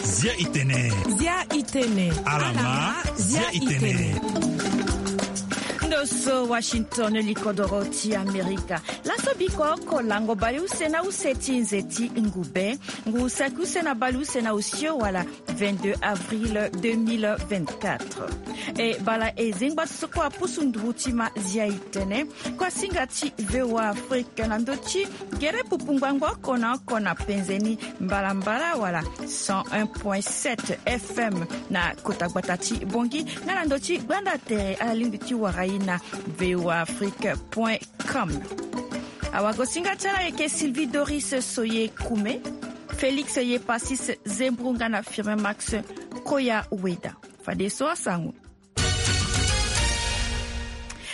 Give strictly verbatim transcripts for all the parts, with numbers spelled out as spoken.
Zia itene. Zia itene. Alama. Zia itene. Ndo so Washington, likodoro ti Amerika. Laso biko oko lango baleuse na use ti nze ti ngube, ngu saki use na baleuse na osio wala vingt-deux avril deux mille vingt-quatre. E bala e zengba so kue apusu nduru ti ma zia itene, kue asinga ti VOA Afrique na ndo ti gere pupu ngbangbo oko na oko na penze ni mbalambala wala cent un point sept F M na kota gbata ti Bongi, nga na ndo ti gbanda tere ala lingbi ti wara e na VOA Afrique point com. Awagosinga ti ala ayeke Sylvie Doris Soye Kume, Félix Yepasis Zembro nga na Firmin Max Koya Weda. Fadeso asango.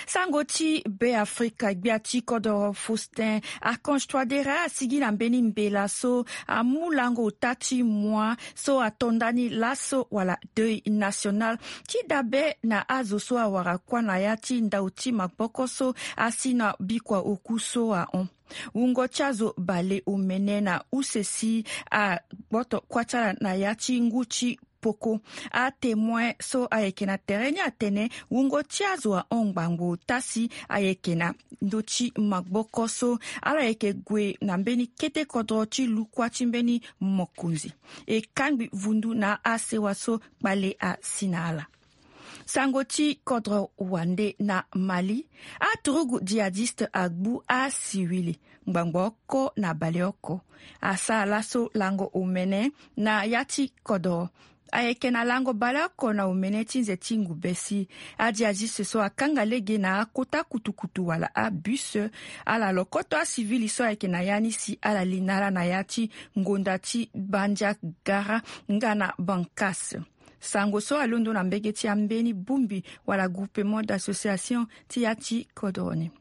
Sango ti Be Afrika, gbia ti kodoro Faustin Archange Touadéra asigi na mbeni mbela so amu lango ota ti moi so ato ndani laso wala deuil national ti dabe na azo so awara kuâ na ya ti ndau ti maboko so asi na bikua oku so ahon. Wungo ti azo baleomene na use si agboto kuâ ti ala na ya ti ngu ti poko. Atémoin so ayeke na tere ni atene wungo ti azo ahon ngbangbo ota si ayeke na ndö ti maboko so ala yeke gue na mbeni kete kodro ti lukua ti mbeni mokonzi. E kangbi vundu na asewa so kpale asi na ala. Sango ti kodro wande na Mali, aturugu djihadiste agbu asiwili ngbangbo oko na baleoko. Asara laso lango omene na ya ti kodro. Ayeke na lango baleoko na omene ti nze ti ngube si adjihadiste so akanga lege na akota kutukutu wala abus. Ala lokoto asivili so ayeke na ya ni si ala li na ala na ya ti ngonda ti Bandiagara nga na Bankas. Sango so alondo na mbege ti ambeni bongbi wala groupement d'association ti ya ti kodro ni.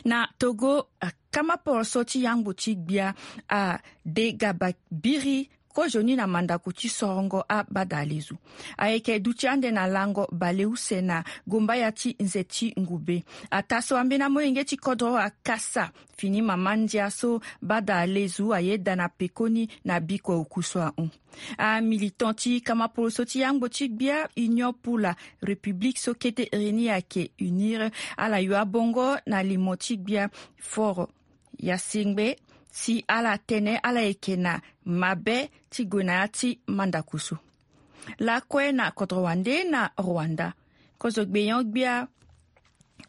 Na Togo, kamaporoso ti yangbo ti gbia ade gababiri kozoni na mandako ti sorongo abadalezu. Ayeke duti ande na lango baleuse na gombaya ti nze ti ngube. Ataa so ambeni amolenge ti kodro akasa fini mama ndia so badalezu ayeda na pekoni na bikua oku so ahon. Amilitant ti kamaporoso ti yangbo ti gbia Union pour la République so kete reni ayeke unir, ala yo abongo na limo ti gbia Fort Yasengbe si ala tene ala yeke na mabe ti gue na ya ti mandako so. Lakue na kodro wande na Rwanda, kozo gbenyo-gbia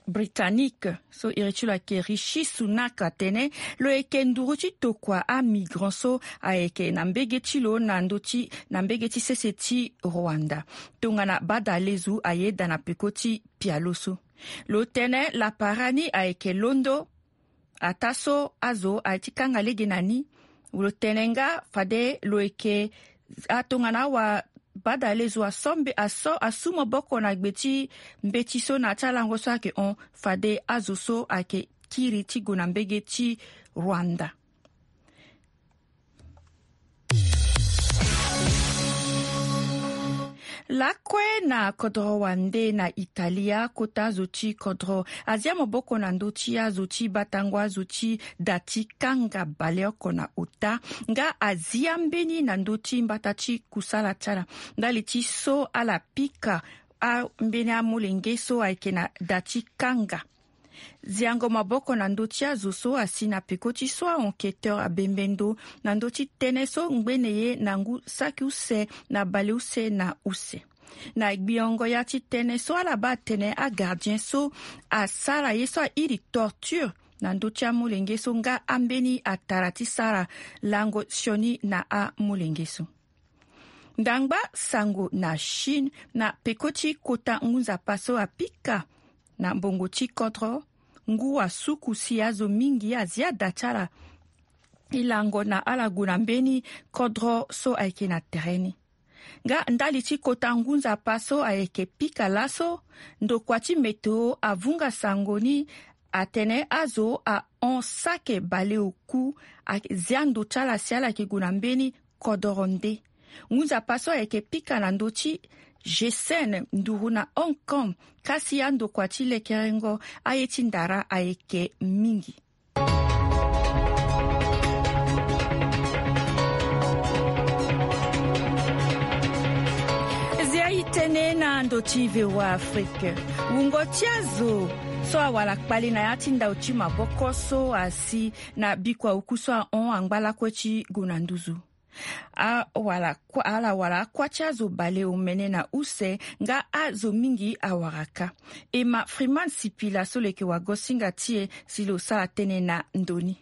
britannique so iri ti lo ayeke Rishi Sunak atene lo yeke nduru ti tokua amigrant so ayeke na mbege ti lo na ndö ti na mbege ti sese ti Rwanda. Tongana badalezu ayeda na peko ti pialo so, lo tene lapara ni ayeke londo. Ataa so azo aye ti kanga lege na ni, lo tene nga fade lo yeke atongana awa badalezo aso mbe aso asu maboko na gbe ti mbeti so na ya ti alango so ayeke hon fade azo so ayeke kiri ti gue na mbege ti Rwanda. Lakue na kodro wande na Italia, kota azo ti kodro azia maboko na ndö ti azo ti batango azo ti da ti kanga baleoko na ota nga azia mbeni na ndö ti mbata ti kusala ti ala ndali ti so ala pika ambeni amolenge so ayeke na da ti kanga. Ziango maboko na ndö ti azo so asi na peko ti so a-enquêteur abembe ndo na ndö ti tënë so ngbene ye na ngu saki use na baleuse na use. Na gbiongo ya ti tënë so ala baa atene agardien so asara ye so airi torture na ndö ti amolenge so nga ambeni atara ti sara lango sioni na amolenge so. Ndangba sango na Chine, na peko ti kota ngu nzapa so apika na mbongo ti kodro, ngu asuku si azo mingi azia da ti ala e lango na ala gue na mbeni kodro so ayeke na tere ni. Nga ndali ti kota ngu nzapa so ayeke pika laso, ndokua ti météo avunga sango ni atene azo ahon sake baleoku azia ndo ti ala si ala yeke gue na mbeni kodoro nde. Ngu nzapa so ayeke pika na ndö ti G C N nduru na Hong Kong, kasi andokua ti lekerengo aye ti ndara ayeke mingi. Tënë na ndo ti V O A Afrique. Wungo ti azo so awara kpale na ya ti ndau ti maboko so asi na biko auku so ahon angba lakue ti gue na nduzu. Awara kua, ala wara akua ti azo baleomene na use nga azo mingi awara kâ. E ma Freeman Sipila so leke wagosinga ti e si lo sara tënë na ndo ni.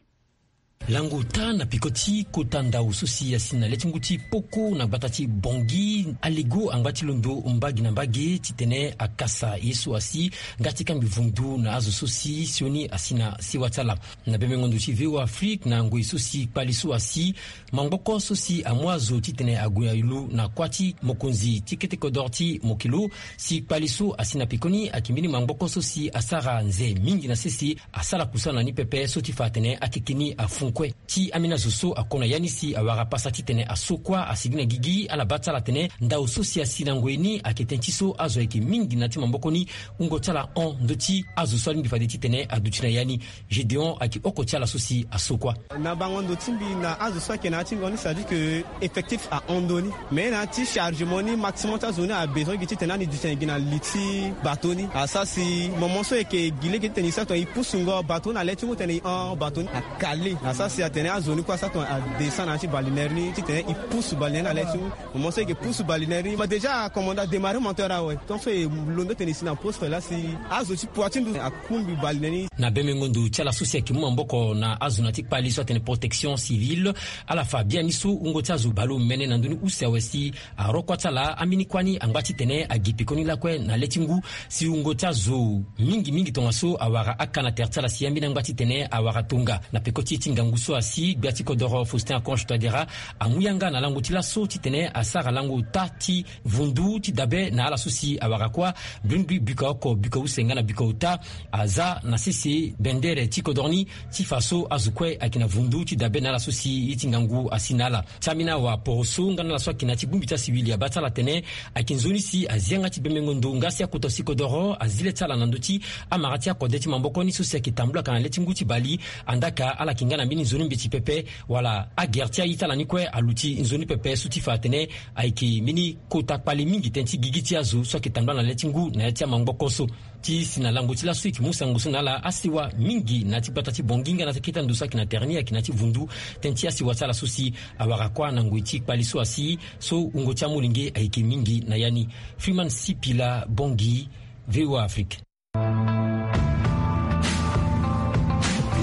Lango ota na peko ti kota ndau so si asi na le ti ngu ti poko na gbata ti Bangui, alego angba ti londo mbage na mbage titene akasa ye so asi nga ti kambi vundu na azo so si sioni asi na sewa ti ala. Na bembengo ndo ti V O A Afrique na ngoi so si kpale so asi, mangboko so si amu azo titene ague na ilo na kuâ ti mokonzi ti kete kodoro ti mokili, si kpale so asi na pekoni ayeke mbeni mangboko so si asara nze mingi na sese, asara kusana ni pepe so ti fa atene akeke ni afu kue. Ti ambeni azo so ako na ya ni si awara pasa titene aso kuâ asigi na gigi, ala baa ti ala atene ndau so si asi na ngoi ni ayeke tënë ti so azo ayeke mingi na ya ti maboko ni. Wungo ti ala hon ndö ti azo so alingbi fade titene aduti na ya ni. Gédéon ayeke oko ti ala so si aso kuâ. Na bango ndo ti mbi na azo so ayeke na ya ti ngo ni, c'est-à-dire que effectif ahon ndo ni. Mais na ya ti chargement ni, maximum ti azo ni abesoin gi titene ani duti na gi na li ti bateau ni. Asara si moment so e yeke gi lege titene e sara tongana e pusu ngo bateau na le ti ngu titene e hon bateau ni akale. Asara si atene azo ni kue asara tongana adescend na ya ti balenaire ni titene e pusu balenaire na le ti ngu. Moment so e yeke pusu balenaire ni, ma déjà commandant démarrer moteur awe. Donc so e londo tene e si na poste la si azo ti pua ti ndu akungbi balenaire ni. Na bembengo ndo ti ala so si ayeke mu maboko na azo na ya ti kpale so atene protection civile, ala fa biani so wungo ti azo baleomene na ndö ni use awe si arokua ti ala ambeni kuâ ni angba titene agi pekoni lakue na le ti ngu, si wungo ti azo mingi mingi tongaso awara aka na tere ti ala si ambeni angba titene awara tonga. Na peko ti e ti ngangu so asi, gbia ti kodoro Faustin Archange Touadéra amu yanga na lango ti laso titene asara lango ota ti vundu ti dabe na ala so si awara kuâ. Mbi lingbi biko oko, biko use nga na biko ota aza na sese bendere ti kodoro ni ti fa so azo kue ayeke na vundu ti dabe na ala so si ye ti ngangu asi na ala. Ti ambeni awaporoso nga na ala so ayeke na ya ti bongbi ti asiwili abaa ti ala atene ayeke nzoni si azi yanga ti bembengo ndo nga si akota si kodoro azi le ti ala na ndö ti amara ti akode ti maboko ni so si ayeke tambula ka na le ti ngu ti bale. Andaa ka ala yeke nga na mbeni nzoni mbeti pepe wala agere ti aye ti ala ni kue aluti nzoni pepe so ti fa atene ayeke mbeni kota kpale mingi tënë ti gigi ti azo so ayeke tambula na le ti ngu na ya ti amaboko so. Ti si na lango ti laso e yeke mu sango so na ala asewa mingi na ya ti gbata ti Bangui nga na ya ti kete ando so ayeke na tere ni ayeke na ya ti vundu tënë ti asewa ti ala so si awara kuâ na ngoi ti kpale so asi so wungo ti amolenge ayeke mingi na ya ni. Freeman Sipila, Bangui, V O A Afrique.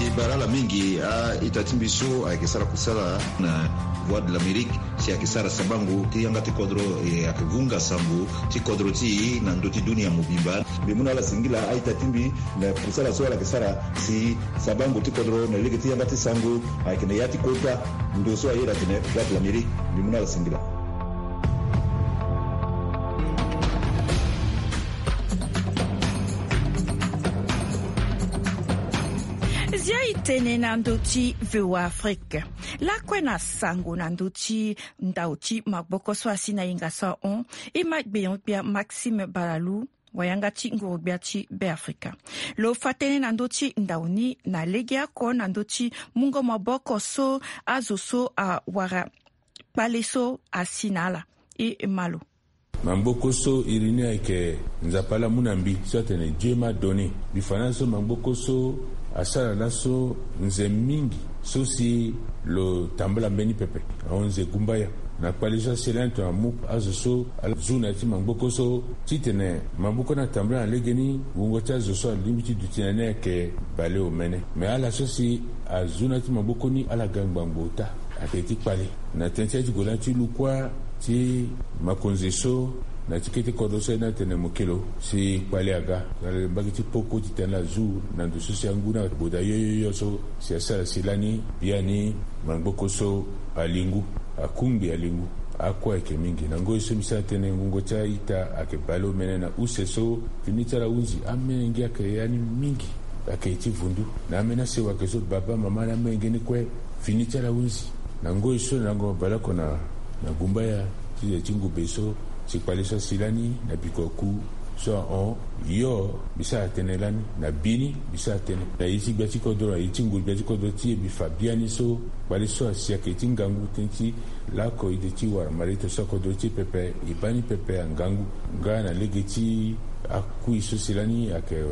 E bara ala mingi a-ita ti mbi so ayeke sara kusala na Voix de l'Amérique si ayeke sara sabango ti yanga ti kodro, e ayeke vunga sango ti kodro ti e na ndö ti dunia mobimba. Mbi mu na ala singila a-ita ti mbi na kusala so ala yeke sara si sabango ti kodro na lege ti yanga ti sango ayeke na ya ti kota ndo so aye atene Voix de l'Amérique. Mbi mu na ala singila. Zia e tene na ndö ti V O A Afrique. Lakue na sango na ndö ti ndau ti maboko so asi na hinga so ahon, e ma gbenyo-gbia Maxime Balalou, wayanga ti nguru-gbia ti Beafrika. Lo fa tënë na ndö ti ndau ni na legeoko na ndö ti mungo maboko so azo so awara kpale so asi na ala. E ma lo. Maboko so iri ni ayeke Nzapa laa amu na mbi so atene Dieu m'a donné. Mbi fa na ala so maboko so asara laso nze mingi so si lo tambula mbeni pepe. Ahon nze gumbaya na kpale so asi lani tongana amu azo so ala zu na ya ti maboko so titene maboko ni atambula na legeni. Wungo ti azo so alingbi ti duti na ni ayeke baleomene. Me ala so si azu na ya ti maboko ni ala ga ngbangbo ota. Ayeke ti kpale na tënë ti aye ti gue lani ti lu kuâ ti makonzi so na ya ti kete kodro so aye ni atene mokelo si kpale aga na mbage ti poko titene ala zu na ndo so si angu ni aboda yoyoyo so si asara si lani biani. Maboko so ali ngu, akungbi ali ngu. Akue ayeke mingi. Na ngoi so mbi sara tënë, ngongo ti a-ita ayeke baleomene na use so fini ti ala ahunzi. Amolenge ayeke ya ni mingi. Ayeke ti vundu na ambeni asewa ayeke so baba mama na amolenge ni kue fini ti ala ahunzi. Na ngoi so na lango baleoko na gumbaya ti ze ti ngube so si kpale so asi lani na biko aku. So ahon, yo mbi sara tënë lani na bini, mbi sara tënë na ye ti gbia ti kodro, na ye ti nguru gbia ti kodro ti e. Mbi fa biani so kpale so asi ayeke ti ngangu tënë ti lako ide ti wara malito so akodro ti e pepe, e baa ni pepe angangu. Nga na lege ti akui so si lani ayeke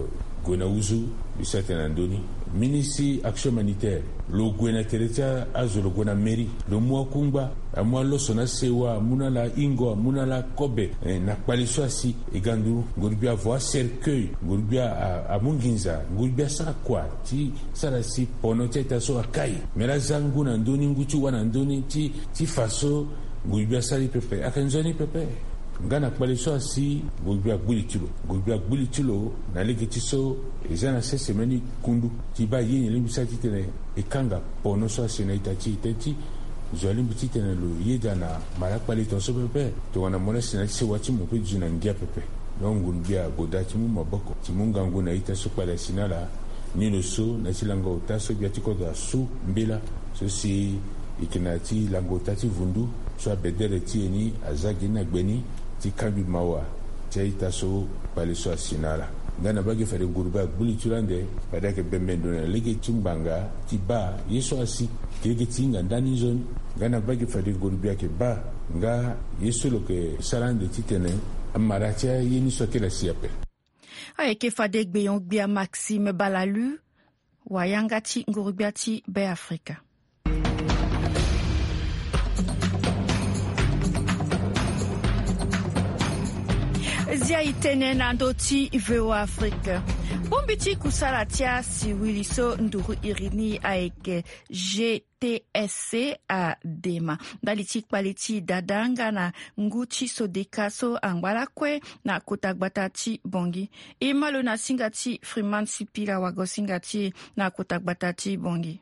gue na uzu, mbi sara tënë na ndö ni. Ministre action humanitaire, lo gue na tere ti azo, lo gue na mairie, lo mu akungba, amu aloso na sewa, amu na ala hingo, amu na ala kobe, eh, na kpale so asi. E ga nduru, nguru gbia avo acercueil, nguru gbia a, amu nginza, nguru gbia asara kua ti sara si pono ti a-ita so akai. Me laa aza ngu na ndö ni, ngu ti wâ na ndö ni, ti, ti fa so nguru gbia asara ye pepe. Ayeke nzoni pepe. Nga na kpale so asi, nguru gbia agbu li ti lo. Nguru gbia agbu li ti lo na lege ti so e za na sese mbeni kundu ti baa ye nyen lingbi sara titene e kanga pono so asi na ita ti e. Tënë ti zo alingbi titene lo yeda na mara kpale tongaso pepe. Tongana mo laa si na ya ti sewa ti mo mpe duti na ngia pepe. Donc ngunu gbia agoda ti mu maboko ti mu ngangu na ita so kpale asi na ala. Ni lo so na ya ti lango ota so gbia ti kodro asu mbela so si e yeke na ya ti lango ota ti vundu so abedere ti e ni aza gi ni na gbe ni ti kangbi mawa ti a-ita so kpale so asi na ala. Nga na mbage fade nguru gbia agbu li ti lo ande, fade ayeke bembe ndo na lege ti ngbanga ti baa ye so asi. Lege ti hinga ndani nzoni. Nga na mbage fade nguru gbia ayeke baa nga ye so lo yeke sara ande titene amara ti aye ni so akiri asi ape. Ayeke fade gbenyo-gbia Maxime Balalu, wayanga ti nguru-gbia ti Beafrika. Zia e tene na ndö ti V O A Afrique. Bongbi ti kusala ti asiwili so nduru iri ni ayeke G T S C adema ndali ti kpale ti dada nga na ngu ti sodeka so angba lakue na kota gbata ti Bangui. E ma lo na singa ti Freeman Sipila, wago-singa ti e na kota gbata ti Bangui.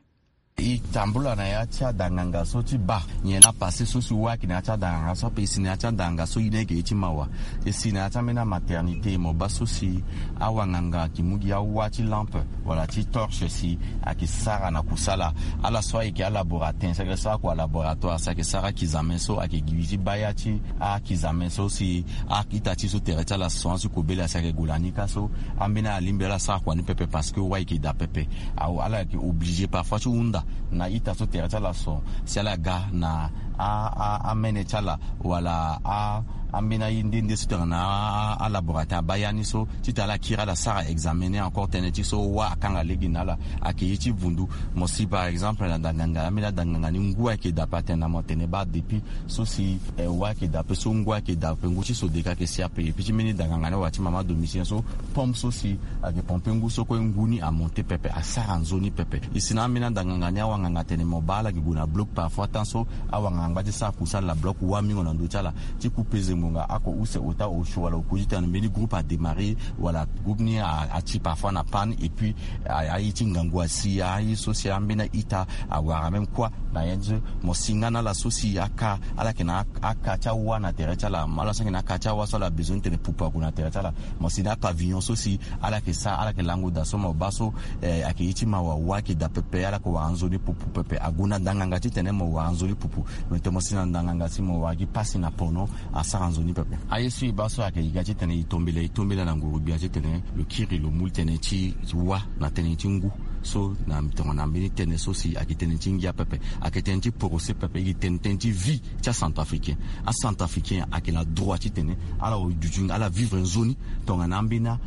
E tambula na ya ti adanganga so ti baa nyen laa pase so si wâ ayeke na ya ti adanganga so ape. E si na ya ti adanganga so ye ni ayeke ye ti mawa. E si na ya ti ambeni amaternité mo baa so si awanganga ayeke mu gi awâ ti lampe wala ti torche si ayeke sara na kusala. Ala so ayeke alaboratin si ayeke sara kua laboratoire si ayeke sara akizame so ayeke gi ti baa ya ti akizame so si a-ita ti e so tere ti ala son asi kobela si ayeke gue na ni kâ so. Ambeni alingbi ala sara kua ni pepe parce que wâ ayeke daa pepe. Awe ala yeke obligé parfois ti hunda na ita so tere ti ala son si ala ga na a, a, amene ti ala wala a, ambeni aye nde nde so tongana a, a, alaboratin abaa ya ni so titene ala kiri ala sara examen ni encore tënë ti so wâ akanga lege na ala. Ayeke ye ti vundu. Mo si par exemple na danganga, ambeni adanganga ni ngu ayeke daa ape, atene na mo atene baa depuis so si, eh, wâ ayeke daa ape so ngu ayeke daa ape, ngu ti sodeka ayeke si ape. Et puis ti mbeni danganga ni wala ti mama Domitien so pompe so si ayeke pompe ngu so kue ngu ni amonte pepe, asara nzoni pepe. E si na ambeni adanganga ni awanganga atene mo baa ala yeke gue na bloc parfois temps so awanganga angba ti sara kusala na bloc wâ mingo na ndö ti ala ti ku peze ngbonga oko use ota osio wala oku titene mbeni groupe adémarré wala groupe ni a, ati parfois na panne et puis a, aye ti ngangu asi, aye so si ambeni a-ita awara même kua na ye so. Mo si nga na ala so si aka, ala yeke na aka ti awâ na tere ti ala, ala so ayeke na aka ti awâ so ala besoin titene pupu ague na tere ti ala. Mo si na apavillon so si ala yeke sara, ala yeke lango daa so mo baa so, eh, ayeke ye ti mawa, wâ ayeke daa pepe, ala yeke wara nzoni pupu pepe. Ague na ndanganga titene mo wara nzoni pupu. Me tene mo si na ndanganga si mo wara gi pasi na pono, asara nzoni pepe. Aye so e baa so ayeke e ga titene e tombela, e tombela na nguru-gbia titene lo kiri lo mu tënë ti wâ na tënë ti ngu. So na tongana mbeni tënë so si ayeke tënë ti ngia pepe, ayeke tënë ti porosé pepe, e yeke tene tënë ti vie ti acentrafricain. Acentrafricain ayeke na droit titene ala duti, ala vivre nzoni tongana ambeni a,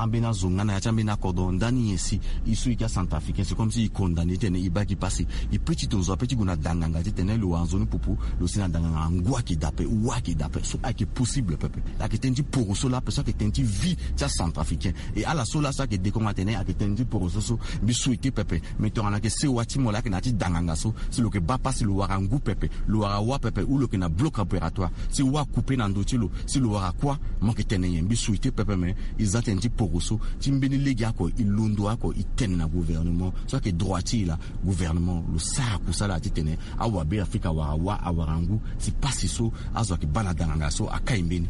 ambeni azo nga na ya ti ambeni akodro. Ndani nyen si e so e yeke acentrafricain, c'est comme si e condamné titene e baa gi pasi. E peut ti to zo ape ti gue na danganga titene lo wara nzoni pupu, lo si na danganga ngu ayeke daa ape, wâ ayeke daa ape. So ayeke possible pepe. Ayeke tënë ti poroso laa ape, so ayeke tënë ti vie ti acentrafricain. Et ala so laa so ayeke dekongo atene ayeke tënë ti poroso so, mbi souhaité pepe. Me tongana ayeke sewa ti mo laa ayeke na ya ti danganga so, si lo yeke baa pasi, lo wara ngu pepe, lo wara wâ pepe, ou lo yeke na bloc opératoire, si wâ akoupe na ndö ti lo, si lo wara kuâ, mo yeke tene nyen? Mbi souhaité pepe, me e za tënë ti poroso ti mbeni lege oko, e londo oko, e tene na gouvernement so ayeke droit ti e laa. Gouvernement lo sara kusala titene awabe Afrika awara wâ, awara ngu, si pasi so azo ayeke baa na danganga so akai mbeni.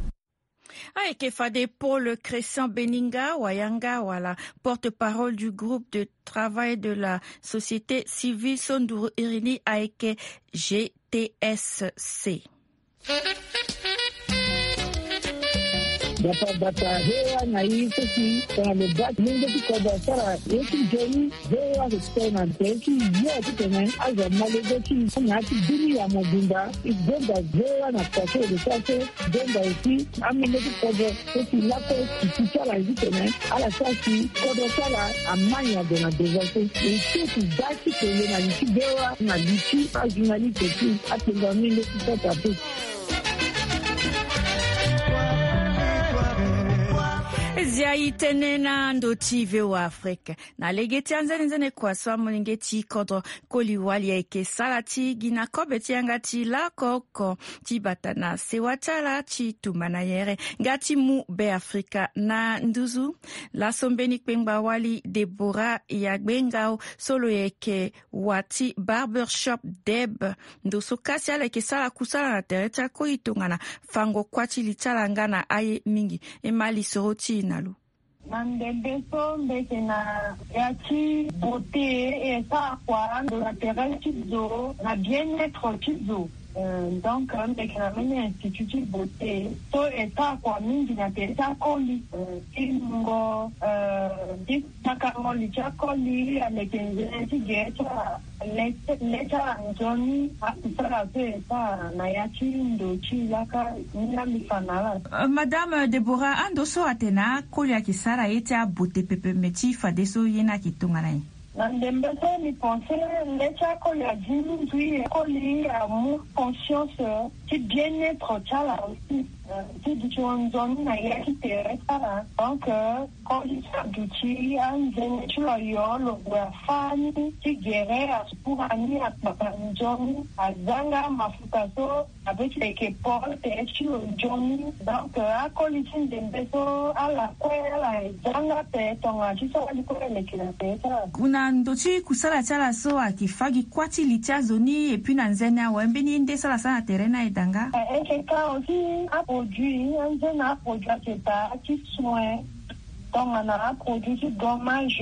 Ayeke fade Paul Christian Beninga, wayanga wala porte-parole du groupe de travail de la société civile so nduru iri ni ayeke G T S C. Bata bata he wa na i so si tongana lo baa ti lenge ti kodro asara ye ti nzoni. He wa so si tongana tere ti yo titene azo amolenge ti na ya ti bini ya mobimba. I gonda he wa na kua so e lo sara so. Gonda aussi amolenge ti kodro so si lako ti ti ti ala titene ala sara si kodro ti ala amani ague na devant so. E so ti baa ti kele na li ti he wa na li ti ajournaliste ti apenga mingi ti sota pe. Zia i tënë na ndo ti V O A Afrique. Na lege ti anzenenzene kua so amolenge ti kodro koli wali ayeke sara ti gi na kobe ti yanga ti laoko oko ti bata na sewa ti ala ti tumba na yere nga ti mu Beafrika na nduzu. Laso mbeni kpengba wali Deborah Yagbengao so lo yeke wa ti Barbershop Deb. Ndo so kasi ala yeke sara kusala na tere ti akoli tongana fango kuâ ti li ti ala nga na aye mingi. E ma lisoro ti e na lo. Na ndembe so mbi yeke na ya ti beauté e sara kua ndo na tere ti zo na bien-être ti zo. Euh, donc mbi yeke na mbeni institut ti beauté so e sara kua mingi na tere ti akoli, euh, ti mungo, euh, ti sakango li ti akoli aleke nzene ti gere ti ala. Lê ti ala nzoni akusala so e sara na ya ti ndo ti laka ni la mbi fa na ala. Euh, Madame Deborah, ando so atene akoli ayeke sara ye ti abote pepe me ti fadeso ye ni ayeke tongana nyen? Na ndembe so mbi pense lê ti akoli azi mingi, akoli amu conscience ti bien-être ti ala aussi. Euh, ti duti nzoni na ya ti tere ti ala. Donc, euh, koli ti aduti anzoni ti lo ayo lo gue afâ ni ti gere asukura ni akpakpa nzoni azanga mafuta so abe ti leke pol tere ti lo nzoni. Donc, euh, akoli ti ndembe so ala kue ala zanga pe tongana ti so ali kue leke na tere ti ala. Na ndo ti kusala ti ala so ayeke fâ gi kuâ ti li ti azo ni et puis na nzene awe mbeni ye nde so ala sara na tere ni aye daa nga? Eh, e yeke ka aussi aproduit anzene aproduit ayeke daa ti soin. Tongana aproduit ti gommage,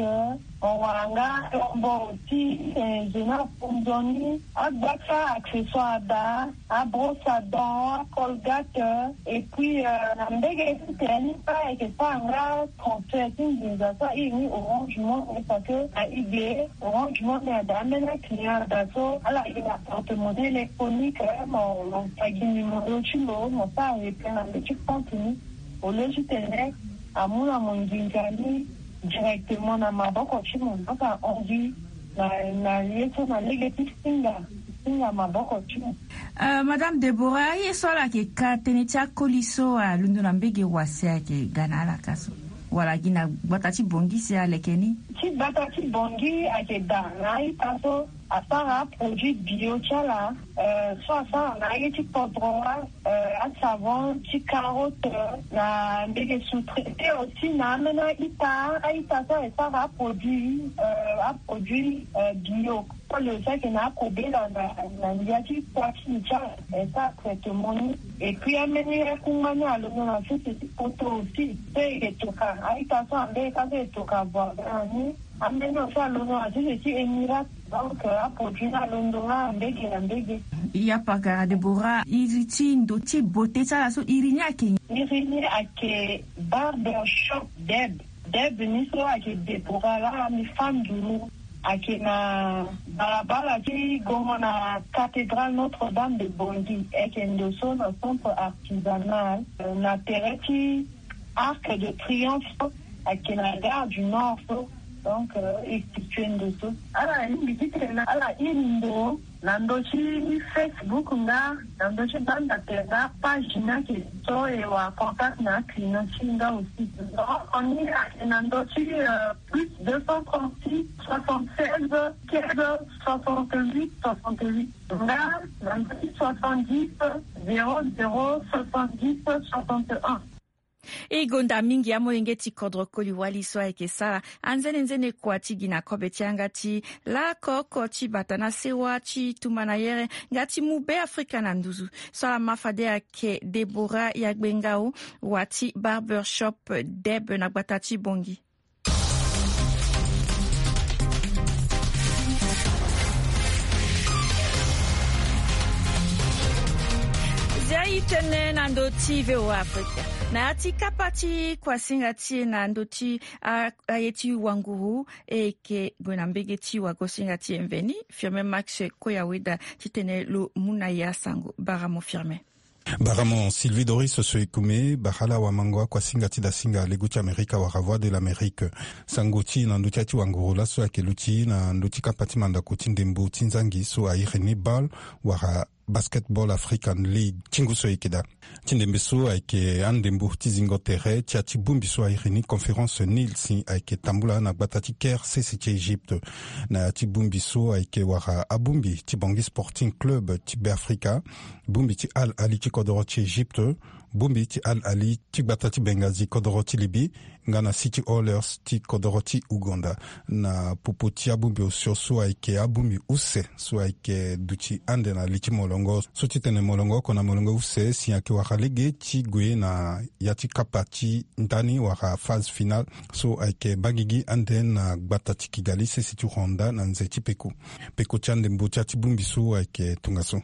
mo wara nga yombo aussi, eh, zo ni afu nzoni, agba ti a-accessoire daa, abrosse à dents, acolgate, et puis, euh, na mbege ti tene ni kue ayeke sara nga transfert ti nginza so airi ni Orange Money, parce que na e ge Orange Money ada ambeni aclient ada so ala gi na porte-monnaie électronique, mo, mo fa gi numéro ti lo, mo sara retrait na ndo ti compte ni. Au lieu ti tene amu na mo nginza ni directement na maboko ti mo, mo fa hon gi na, na ye so na lege ti singa, singa maboko ti mo. Euh, Madame Deborah, aye so ala yeke ka tënë ti akoli so alondo na mbege wa si ayeke ga na ala ka so, wala gi na gbata ti Bangui si aleke ni? Ti gbata ti Bangui ayeke daa na a-ita so asara aproduit bio ti ala, euh, so asara na aye ti kodro, euh, asavon ti carotte, na mbege sous-traité aussi na ambeni a-ita, a-ita so e sara aproduit, euh, aproduit, euh, bio. Koli aussi ayeke na akobela na, na ndia ti kua ti li ti ala, e sara traitement ni. Et puis ambeni akungba ni alondo na sese ti poto aussi so e yeke toka a-ita so ambeni ka so e toka voisin na ni. Ambeni aussi alondo na sese ti Émirats. Donc, euh, aproduit ni alondo nga mbege na mbege. Ya pakara Deborah, iri ti ndo ti beauté ti ala so iri ni ayeke nyen? Iri ni ayeke Barbershop Deb. Deb ni so ayeke Deborah laa, mbi fâ nduru. Ayeke na balabala ti gongo na cathédrale Notre-Dame de Bangui. Ayeke ndo so na centre artisanal, euh, na tere ti Arc de Triomphe, ayeke na Gare du Nord so. Donc, euh, e situé ndo so. Ala lingbi titene ala iri ndo na ndö ti Facebook nga na ndö ti banda tere nga page ni ayeke so e wara contact na aclient ti e nga aussi. Numéro ni ayeke na ndö ti, euh, plus deux cent trente-six, soixante-seize, quinze, soixante-huit, soixante-huit. Nga na ndö ti soixante-dix, zéro zéro, soixante-dix, soixante-un. E gonda mingi amolenge ti kodro koli wali so ayeke sara anzenenzene kua ti gi na kobe ti yanga ti laoko oko ti bata na sewa ti tumba na yere nga ti mu Beafrika na nduzu. So ala ma fade ayeke Deborah Yagbengao, wa ti Barbershop Deb na gbata ti Bangui. Zia i tënë na ndö ti V O A Afrika. Na ya ti kapa ti kuasinga ti e na ndö ti a- aye ti wanguru, e yeke gue na mbege ti wagosinga ti e mveni, Firmin Max Koyaweda, titene lo mu na e asango. Baramo Firmin. Baramo Sylvie Doris Soekume, bara ala wamango akuasinga ti dasinga lego ti Amerika wala Voix de l'Amérique. Sango ti e na ndö ti aye ti wanguru laso ayeke luti na ndö ti kapa ti mandako ti ndembo ti nzangi so a iri ni BAL wala Basketball African League ti ngu so e yeke daa. Ti ndembe so ayeke andembo ti zingo tere ti ya ti bongbi so a iri ni Conférence Nil si ayeke tambula na gbata ti Caire, sese ti Égypte. Na ya ti bongbi so ayeke wara abongbi ti Bangui Sporting Club ti Beafrika, bongbi ti Al Ahly ti kodoro ti Égypte, bongbi ti Al Ahly ti gbata ti Benghazi kodoro ti Libye, nga na City Oilers ti kodoro ti Ouganda. Na popo ti abongbi osio so ayeke abongbi use so ayeke duti ande na li ti molongo so ti tene molongo oko na molongo use si ayeke wara lege ti gue na ya ti kapa ti ndani wala phase finale so ayeke baa gigi ande na gbata ti Kigali, sese ti Rwanda, na nze ti peko. Peko ti andembo ti ya ti bongbi so ayeke tongaso.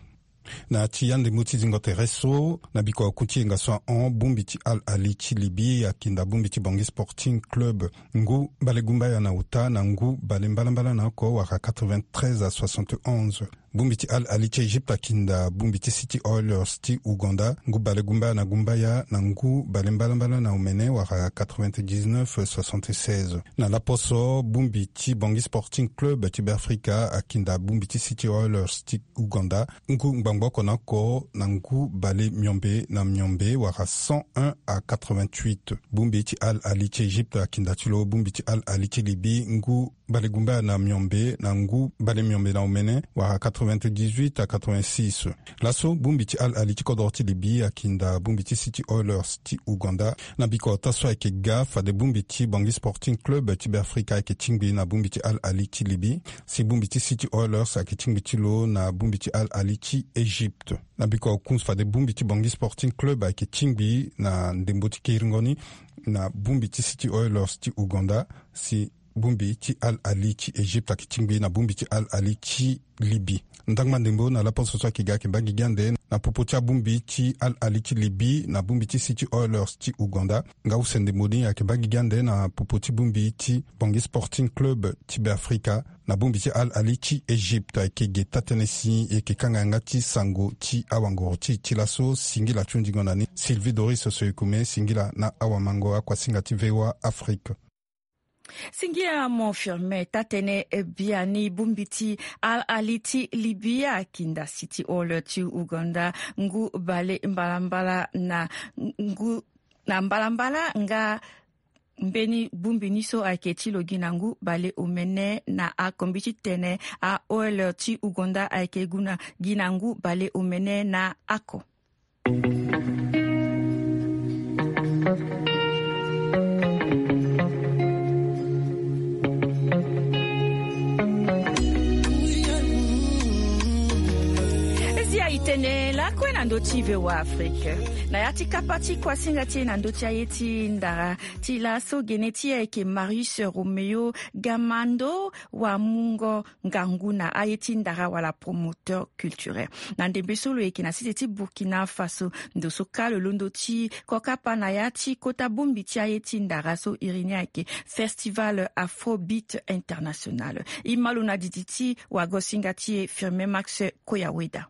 Na ya ti andembo ti zingo tere so, na biko aku ti yenga so ahon, bongbi ti Al Ahly ti Libye akinda bongbi ti Bangui Sporting Club ngu balegumbaya na ota na ngu balembalambala na oko wala quatre-vingt-treize à soixante et onze. Bongbi ti Al Ahly ti Égypte akinda bongbi ti City Oilers ti Ouganda ngu balegumbaya na gumbaya na ngu balembalambala na omene wala quatre-vingt-dix-neuf soixante-seize. Na laposo, bongbi ti Bangui Sporting Club ti Beafrika akinda bongbi ti City Oilers ti Ouganda ngu ngbangbo oko na oko na ngu bale miombe na miombe wala cent un à quatre-vingt-huit. Bongbi ti Al Ahly ti Égypte akinda ti lo bongbi ti Al Ahly ti Libye ngu balegumbaya na miombe na ngu bale miombe na omene wala quatre-vingt-dix-huit à quatre-vingt-six. Laso, bongbi ti Al Ahly ti kodoro ti Libye akinda bongbi ti City Oilers ti Ouganda. Na biko ota so ayeke ga fade bongbi ti Bangui Sporting Club ti Beafrika ayeke tingbi na bongbi ti Al Ahly ti Libye, si bongbi ti City Oilers ayeke tingbi ti lo na bongbi ti Al Ahly ti Égypte. Na biko aku fade bongbi ti Bangui Sporting Club ayeke tingbi na ndembo ti kiringo ni na bongbi ti City Oilers ti Ouganda, si bongbi ti Al Ahly ti Égypte ayeke tingbi na bongbi ti Al Ahly ti Libye. Ndangba ndembo na laposo so ayeke ga ayeke baa gigi ande na popo ti abongbi ti Al Ahly ti Libye na bongbi ti City Oilers ti Ouganda. Nga use ndembo ni ayeke baa gigi ande na popo ti bongbi ti Bangui Sporting Club ti Beafrika na bongbi ti Al Ahly ti Égypte. Ayeke ge taa-tënë si e yeke kanga yanga ti sango ti awanguru ti e ti laso. Singila ti hundingo na ni. Sylvie Doris Soekume, singila na awamango akuasinga ti V O A Afrique. Singila mo Firmin. Taa-tënë biani, bongbi ti Al Ahly ti Libye akinda City Oilers ti Ouganda ngu bale mbalambala na ngu na mbalambala, nga mbeni bongbi ni so ayeke ti lo gi na ngu bale omene na ako. Mbi ti tene a Oilers ti Ouganda ayeke gu na gi na ngu bale omene na ako. Zi aye tene lakue na ndö ti V O A Afrique. Na ya ti kapa ti kuasinga ti e na ndö ti aye ti ndara ti laso, gene ti e ayeke Marius Roméo Gamando, wamungo ngangu na aye ti ndara wala promoteur culturel. Na ndembe so lo yeke na sese ti Burkina Faso, ndo so kâ lo londo ti kokapa na ya ti kota bongbi ti aye ti ndara so iri ni ayeke Festival Afrobeat International. E ma lo na didi ti wagosinga ti e Firmin Max Koyaweda.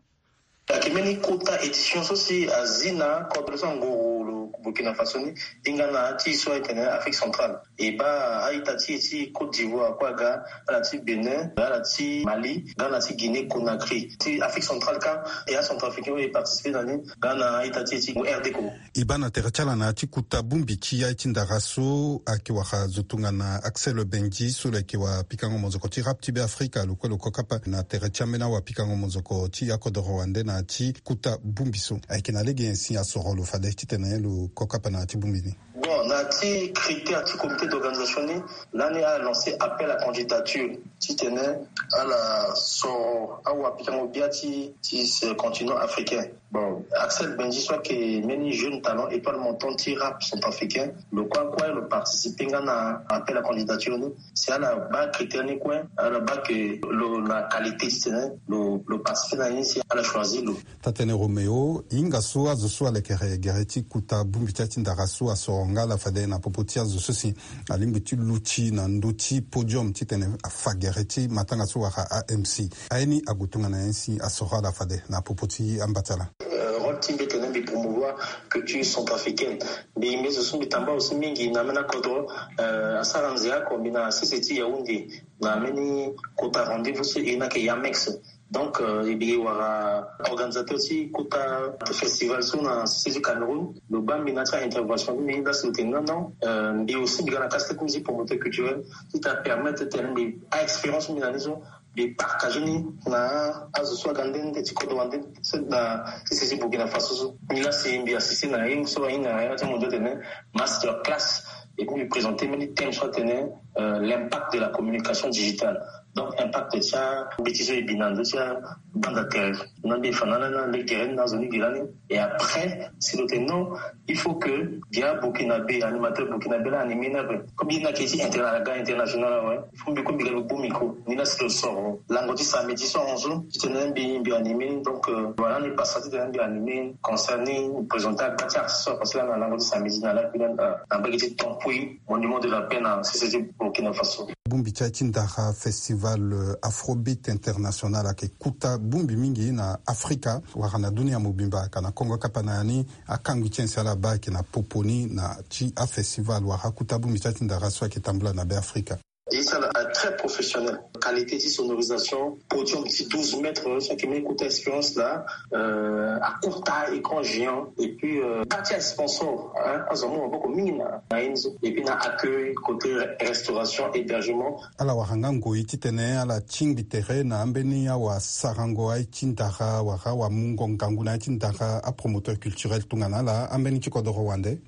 Ayeke mbeni kota édition so si azi na kodro so angoro lo Burkina Faso ni, hinga na ya ti so ayeke na Afrique centrale. E baa a-ita ti e ti Côte d'Ivoire kue aga, ala ti Bénin, ala ti Mali, nga na ti Guinée Conakry. Ti Afrique centrale kâ, e acentrafricain oyo e participer na ni, nga na a-ita ti e ti R D Congo. E baa na tere ti ala na ya ti kota bongbi ti aye ti ndara so ayeke wara zo tongana Axel Benji so lo yeke wapikango monzoko ti rap ti Beafrika, lo kue lo kokapa na tere ti ambeni awapikango monzoko ti akodoro wande na ya ti kota bongbi so. Ayeke na lege nyen si asoro lo fade titene lo kokapa na ya ti bongbi ni? Bon, Na ti critère ti comité d'organisation ni, lani ala lancer appel à candidature titene ala soro awapikango bia ti ti ce continent africain. Bon, Axel Benji so ayeke mbeni jeune talent, étoile montante ti rap centrafricain, lo kue akue lo participer nga na appel à candidature ni. Si ala baa critère ni kue, ala baa ke lo na qualité titene lo lo participer na ye ni, si ala choisir lo. Taa-tënë Roméo, hinga so azo so alekere gere ti kota bongbi ti ya ti ndara so asoro nga ala fade na popo ti azo so si alingbi ti luti na ndö ti podium titene afa gere ti matanga so wala A M C. Aye ni ague tongana nyen si asoro ala fade na popo ti ambatala? Euh, rôle ti mbi tene mbi promouvoir culture centrafricaine. Mbi mbi zo so mbi tamba aussi mingi na ambeni akodro, euh, asara nze oko mbi na sese ti Yaoundé na ambeni kota rendez-vous so e na ke Yamex. Donc, euh, e mbi wara organisateur ti kota festival so na sese ti Cameroun. Lo baa mbi na ti intervention ti mbi lasi lo tene non non, euh, mbi aussi mbi ga na casquette ti mbi ti promoteur culturel ti ta permettre tene mbi a expérience mbi na ni so mbi partager ni na azo so aga nde nde ti kodro wande so na ti sese ti Burkina Faso so. Ni lasi mbi assister na ye so ahinga na yanga ti mondial tene master class. Et puis mbi présenter mbeni thème so atene, euh, l'impact de la communication digitale. Donc impact ti ambeti so e bi na ndö ti abanda tere. Na mbi e fa na ala ni na legere ni na azo ni gi lani. Et après si lo tene non, il faut que gi aburkinabé, animateur burkinabé la animé ni ape. Comme ye ni ayeke ti inter- aga international awe, il faut mbi kue mbi ga mbi gbu micro. Ni la si lo soro lango ti samedi so ahon so titene mbi mbi animé ni. Donc, euh, voilà, ni pasa titene mbi animé concert ni, mbi présenter agba ti artiste so apassé la na lango ti samedi na la bi la na mbage ti Tamboué, monument de la paix na sese ti Burkina Faso. Bongbi ti aye ti ndara, festival, euh, Afrobeat International ayeke kota bongbi mingi na Afrika wala na dunia mobimba. Ka na Kongo kapa na ya ni, akangbi ti aye si ala baa ayeke na popo ni na ti afestival wala akota bongbi ti aye ti ndara so ayeke tambula na Be Afrika. Ye ti ala très professionnel. Qualité ti sonorisation, podium ti douze mètres so ayeke mbeni kota expérience laa, euh, akota écran géant. Et puis, euh, kâ ti asponsor, hein, azo amu maboko mingi na na ye ni so. Et puis na accueil, côté restauration, hébergement. Ala wara nga ngoi titene ala tingbi tere na ambeni awasarango aye ti ndara wala awamungo ngangu na aye ti ndara, apromoteur culturel tongana ala, ambeni ti kodoro wande?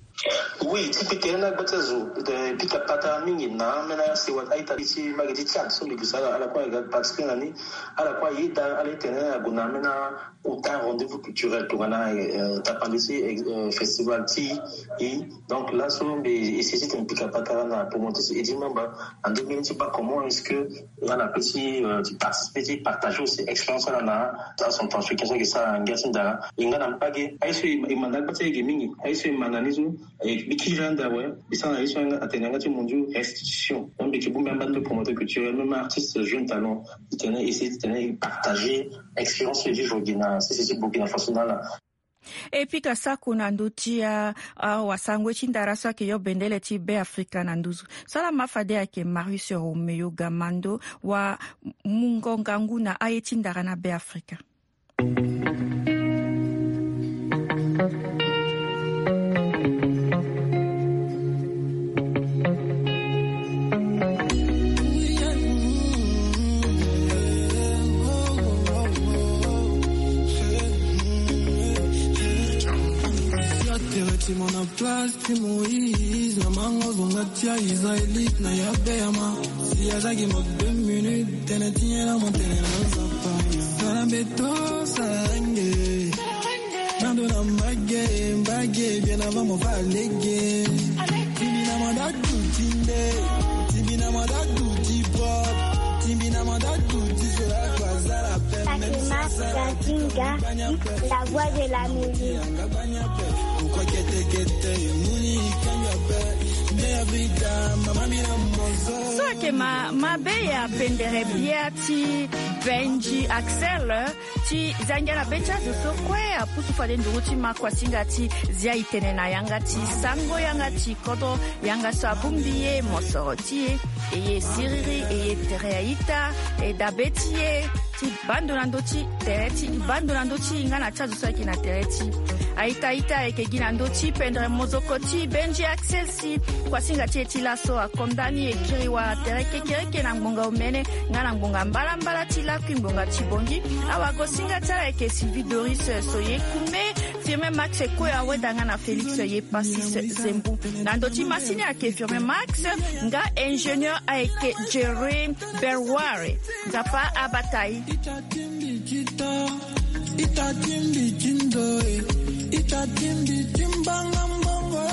Oui, ti pika tere na gba ti azo, eh, pika patara mingi na ambeni asewa a-ita ti mbage ti Tchad so mbi gue sara ala kue aga participer na ni. Ala kue ayeda ala titene ague na ambeni akota rendez-vous culturel tongana, eh, tapande ti, eh, festival ti e. Donc laso mbi essayer titene mbi pika patara na promoteur ti Eddy Mamba, ande mbeni ti baa comment est-ce que nga na pe ti, euh, ti participer ti partager aussi expérience ala na acentrafricain so ayeke sara ngia ti ndara. E nga na mbage aye so e ma na gba ti ayeke mingi, aye so e ma na ni so e mbi kiri ande awe. Mbi sara na ye so atene yanga ti mondio restitution. Donc mbi yeke bongbi amba ndo promoteur culturel, même artiste, jeune talent, titene essayer titene e partager expérience so e vivre gi na sese ti Burkina Faso na ala. E pika sako na ndö ti a, a wasango ti ndara so ayeke yo bendele ti Be Afrika na nduzu. So ala ma fade ayeke Marius Roméo Gamando, wamungo ngangu na aye ti ndara na Be Afrika. Place ti Moïse na mango zonga ti a Israélite na ya Béama. Si azalaki mo deux minutes tene ti nyela mo tene na Nzapa. Sala beto sarange. Nando na mbage mbage bien avant mo fa lege. Timbi na manda duti nde. Timbi na manda duti pop. Timbi na manda duti sela kwa zala. Fatima Gazinga, la voix de la musique. So ayeke ma, mabe ya pendere bia ti Benji Axel, ti zangia na be ti azo so kue apusu fade nduru ti ma kuasinga ti zia e tene na yanga ti sango yanga ti kodro, yanga so abongbi e mosoro ti e, e ye siriri, e ye tere a-ita, e dabe ti e, ti baa ndo na ndö ti tere ti, e baa ndo na ndö ti e nga na ti azo so ayeke na tere ti e. A-ita a-ita ayeke gi na ndö ti pendere mozoko ti Benji Axel si kuasinga ti e ti laso akonda ni e kiri wala tere kekereke na ngbonga omene nga na ngbonga mbalambala ti lakui ngbonga ti bongi. Awagosinga ti ala ayeke Sylvie Doris Soye Kume. Firmin Max e kue aweda nga na Félix ye Passis Zembu. Na ndo ti masini ayeke Firmin Max, nga ingénieur ayeke Jerry Berware. Nzapa abata e. Ita timbi tito, ita timbi tindo e, ita timbi timbanga mbongo.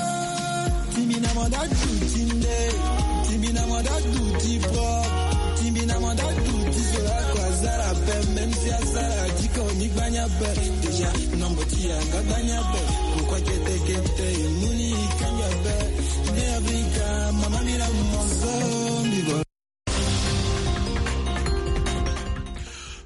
Timbi na manda du tinde, timbi na manda du ti pro, timbi na manda du ti zola kwa zara pe, même si asara ti ko ni gbanya pe. Déjà, nombo ti yanga gbanya pe, pourquoi kete kete, muni kanga pe. Ne Afrika, mama mira mozo, mbi bo